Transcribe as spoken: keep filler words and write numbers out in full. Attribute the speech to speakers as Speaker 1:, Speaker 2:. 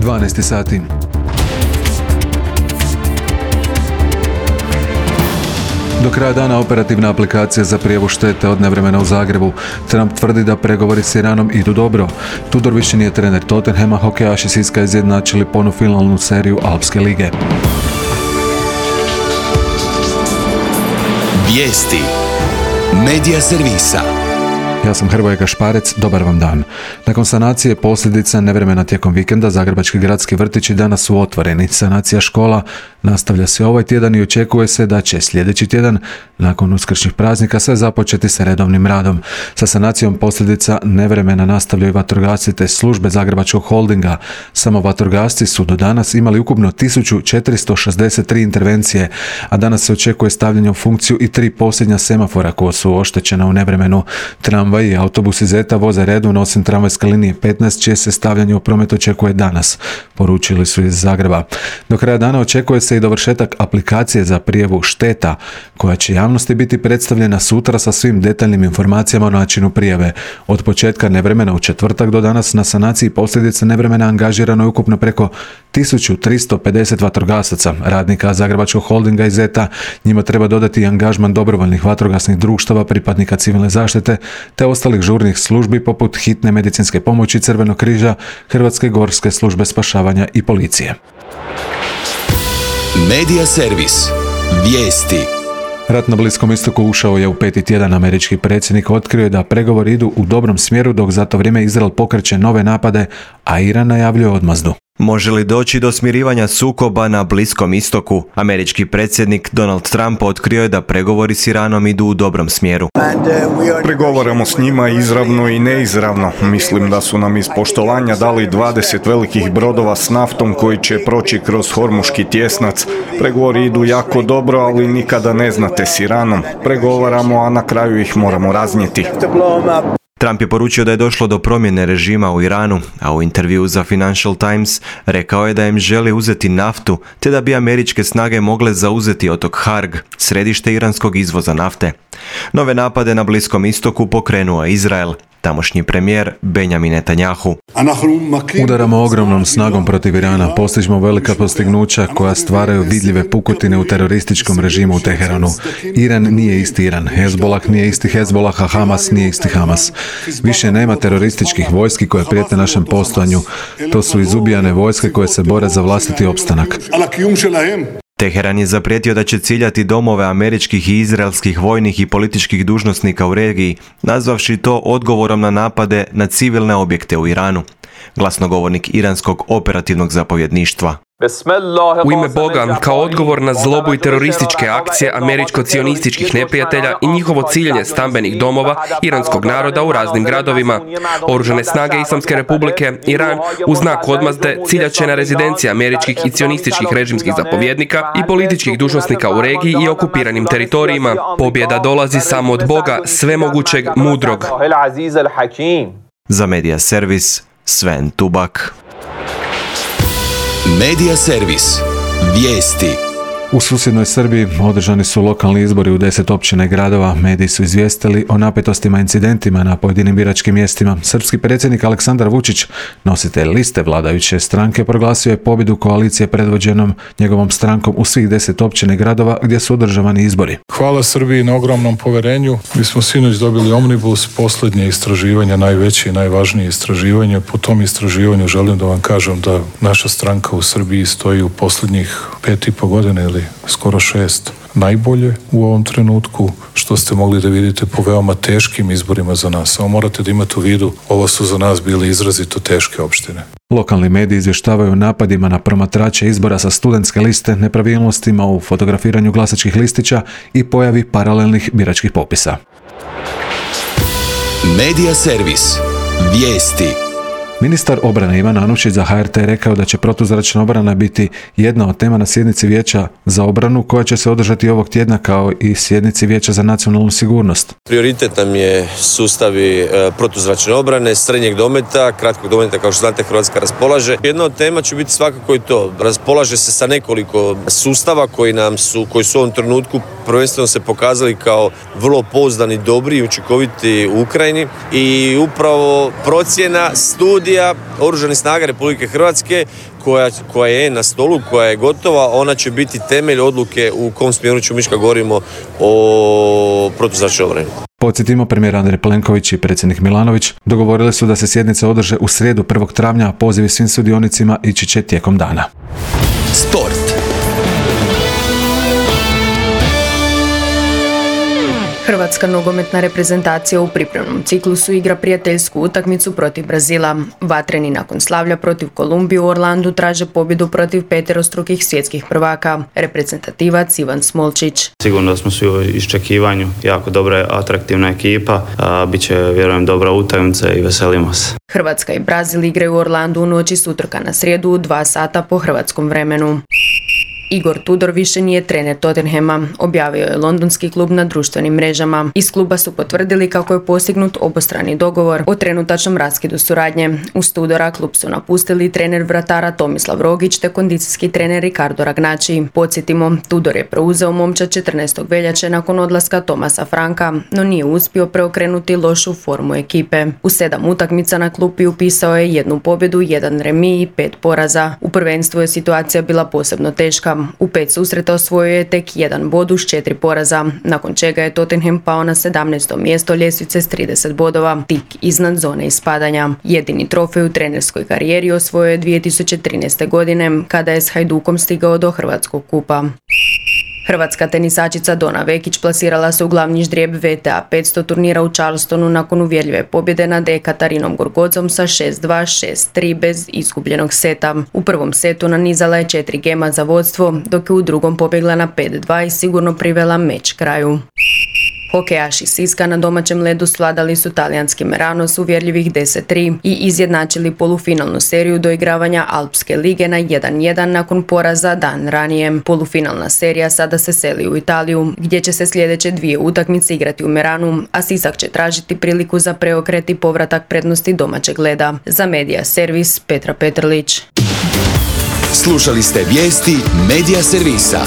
Speaker 1: dvanaest sati. Do kraja dana operativna aplikacija za prijavu štete od nevremena u Zagrebu. Trump tvrdi da pregovori s Iranom idu dobro. Tudor više nije trener Tottenhama, hokejaši Siska izjednačili polufinalnu seriju Alpske lige.
Speaker 2: Vijesti Medija servisa.
Speaker 1: Ja sam Hrvoje Gašparec, dobar vam dan. Nakon sanacije posljedica nevremena tijekom vikenda, zagrebački gradski vrtići danas su otvoreni. Sanacija škola nastavlja se ovaj tjedan i očekuje se da će sljedeći tjedan, nakon uskršnjih praznika, sve započeti sa redovnim radom. Sa sanacijom posljedica nevremena nastavljaju vatrogasci te službe Zagrebačkog holdinga. Samo vatrogasci su do danas imali ukupno tisuću četiristo šezdeset tri intervencije, a danas se očekuje stavljanje u funkciju i tri posljednja semafora koja su oštećena u nevremenu. Tramvaj i autobusi Zeta voze redovno osim tramvajske linije petnaest, čije se stavljanje u promet očekuje danas, poručili su iz Zagreba. Do kraja dana očekuje se i dovršetak aplikacije za prijavu šteta, koja će javnosti biti predstavljena sutra sa svim detaljnim informacijama o načinu prijave. Od početka nevremena u četvrtak do danas na sanaciji posljedica nevremena angažirano je ukupno preko tisuću tristo pedeset vatrogasaca, radnika Zagrebačkog holdinga i Zeta. Njima treba dodati i angažman dobrovoljnih vatrogasnih društava, pripadnika civilne zaštite, te ostalih žurnih službi poput hitne medicinske pomoći, Crvenog križa, Hrvatske gorske službe spašavanja i policije.
Speaker 2: Medija servis. Vijesti.
Speaker 1: Rat na Bliskom istoku ušao je u peti tjedan. Američki predsjednik otkrio je da pregovori idu u dobrom smjeru, dok za to vrijeme Izrael pokreće nove napade, a Iran najavljuje odmazdu.
Speaker 3: Može li doći do smirivanja sukoba na Bliskom istoku? Američki predsjednik Donald Trump otkrio je da pregovori s Iranom idu u dobrom smjeru.
Speaker 4: Pregovaramo s njima izravno i neizravno. Mislim da su nam iz poštovanja dali dvadeset velikih brodova s naftom koji će proći kroz Hormuški tjesnac. Pregovori idu jako dobro, ali nikada ne znate s Iranom. Pregovaramo, a na kraju ih moramo raznijeti.
Speaker 3: Trump je poručio da je došlo do promjene režima u Iranu, a u intervjuu za Financial Times rekao je da im želi uzeti naftu, te da bi američke snage mogle zauzeti otok Harg, središte iranskog izvoza nafte. Nove napade na Bliskom istoku pokrenuo je Izrael. Tamošnji premijer Benjamin Netanjahu.
Speaker 1: Udaramo ogromnom snagom protiv Irana, postižemo velika postignuća koja stvaraju vidljive pukotine u terorističkom režimu u Teheranu. Iran nije isti Iran, Hezbollah nije isti Hezbollah, a Hamas nije isti Hamas. Više nema terorističkih vojski koje prijete našem postojanju. To su izubijane vojske koje se bore za vlastiti opstanak.
Speaker 3: Teheran je zaprijetio da će ciljati domove američkih i izraelskih vojnih i političkih dužnosnika u regiji, nazvavši to odgovorom na napade na civilne objekte u Iranu. Glasnogovornik iranskog operativnog zapovjedništva.
Speaker 5: U ime Boga, kao odgovor na zlobu i terorističke akcije američko-cionističkih neprijatelja i njihovo ciljanje stambenih domova iranskog naroda u raznim gradovima, Oružane snage Islamske republike Iran u znak odmazde ciljaće na rezidencije američkih i cionističkih režimskih zapovjednika i političkih dužnosnika u regiji i okupiranim teritorijima. Pobjeda dolazi samo od Boga, svemogućeg, mudrog.
Speaker 3: Za Medija servis, Sven Tubak.
Speaker 2: Medija servis. Vijesti.
Speaker 1: U susjednoj Srbiji održani su lokalni izbori u deset općina i gradova. Mediji su izvijestili o napetostima i incidentima na pojedinim biračkim mjestima. Srpski predsjednik Aleksandar Vučić, nositelj liste vladajuće stranke, proglasio je pobjedu koalicije predvođenom njegovom strankom u svih deset općina i gradova gdje su održavani izbori.
Speaker 6: Hvala Srbiji na ogromnom poverenju. Mi smo sinoć dobili Omnibus, posljednje istraživanje, najveće i najvažnije istraživanje. Po tom istraživanju želim da vam kažem da naša stranka u Srbiji stoji u posljednjih pet i po godine ili skoro šest najbolje u ovom trenutku, što ste mogli da vidite po veoma teškim izborima za nas. Samo morate da imate u vidu, ovo su za nas bile izrazito teške opštine.
Speaker 1: Lokalni mediji izvještavaju o napadima na promatrače izbora sa studentske liste, nepravilnostima u fotografiranju glasačkih listića i pojavi paralelnih biračkih popisa.
Speaker 2: Medija servis. Vijesti.
Speaker 1: Ministar obrane Ivan Anušić za H R T rekao da će protuzračna obrana biti jedna od tema na sjednici Vijeća za obranu koja će se održati ovog tjedna, kao i sjednici Vijeća za nacionalnu sigurnost.
Speaker 7: Prioritet nam je sustavi protuzračne obrane, srednjeg dometa, kratkog dometa, kao što znate Hrvatska raspolaže. Jedna od tema će biti svakako i to. Raspolaže se sa nekoliko sustava koji nam su, koji su u ovom trenutku prvenstveno se pokazali kao vrlo pouzdani, dobri i učinkoviti u Ukrajini i upravo procjena studija Oružanih snaga Republike Hrvatske koja, koja je na stolu, koja je gotova, ona će biti temelj odluke u kom smjeru ćemo ići kad govorimo o protuzračnoj obrani.
Speaker 1: Podsjetimo, premijer Andrej Plenković i predsjednik Milanović dogovorili su da se sjednice održe u srijedu prvog travnja, a pozivi svim sudionicima ići će tijekom dana.
Speaker 2: Sport.
Speaker 8: Hrvatska nogometna reprezentacija u pripremnom ciklusu igra prijateljsku utakmicu protiv Brazila. Vatreni nakon slavlja protiv Kolumbije u Orlandu traže pobjedu protiv peterostrukih svjetskih prvaka. Reprezentativac Ivan Smolčić.
Speaker 9: Sigurno da smo svi u iščekivanju, jako dobra, atraktivna ekipa, a bit će, vjerujem, dobra utakmica i veselimo se.
Speaker 8: Hrvatska i Brazil igraju u Orlandu u noći s utorka na srijedu u dva sata po hrvatskom vremenu. Igor Tudor više nije trener Tottenhama, objavio je londonski klub na društvenim mrežama. Iz kluba su potvrdili kako je postignut obostrani dogovor o trenutačnom raskidu suradnje. Uz Tudora klub su napustili trener vratara Tomislav Rogić te kondicijski trener Ricardo Ragnaci. Podsjetimo, Tudor je preuzeo momčad četrnaestog veljače nakon odlaska Tomasa Franka, no nije uspio preokrenuti lošu formu ekipe. U sedam utakmica na klupi upisao je jednu pobjedu, jedan remi i pet poraza. U prvenstvu je situacija bila posebno teška. U pet susreta osvojio je tek jedan bod uz četiri poraza, nakon čega je Tottenham pao na sedamnaesto mjesto ljestvice s trideset bodova, tik iznad zone ispadanja. Jedini trofej u trenerskoj karijeri osvojio je dvije tisuće trinaeste. godine, kada je s Hajdukom stigao do Hrvatskog kupa. Hrvatska tenisačica Dona Vekić plasirala se u glavni ždrijeb V T A petsto turnira u Charlestonu nakon uvjerljive pobjede nad Ekatarinom Gorgodzom sa šest dva, šest tri bez izgubljenog seta. U prvom setu nanizala je četiri gema za vodstvo, dok je u drugom pobjegla na pet dva i sigurno privela meč kraju. Hokejaši Siska na domaćem ledu svladali su talijanski Merano s uvjerljivih deset tri i izjednačili polufinalnu seriju doigravanja Alpske lige na jedan jedan nakon poraza dan ranije. Polufinalna serija sada se seli u Italiju, gdje će se sljedeće dvije utakmice igrati u Meranu, a Sisak će tražiti priliku za preokret i povratak prednosti domaćeg leda. Za Medija servis Petra Petrlić.
Speaker 2: Slušali ste vijesti Medija servisa.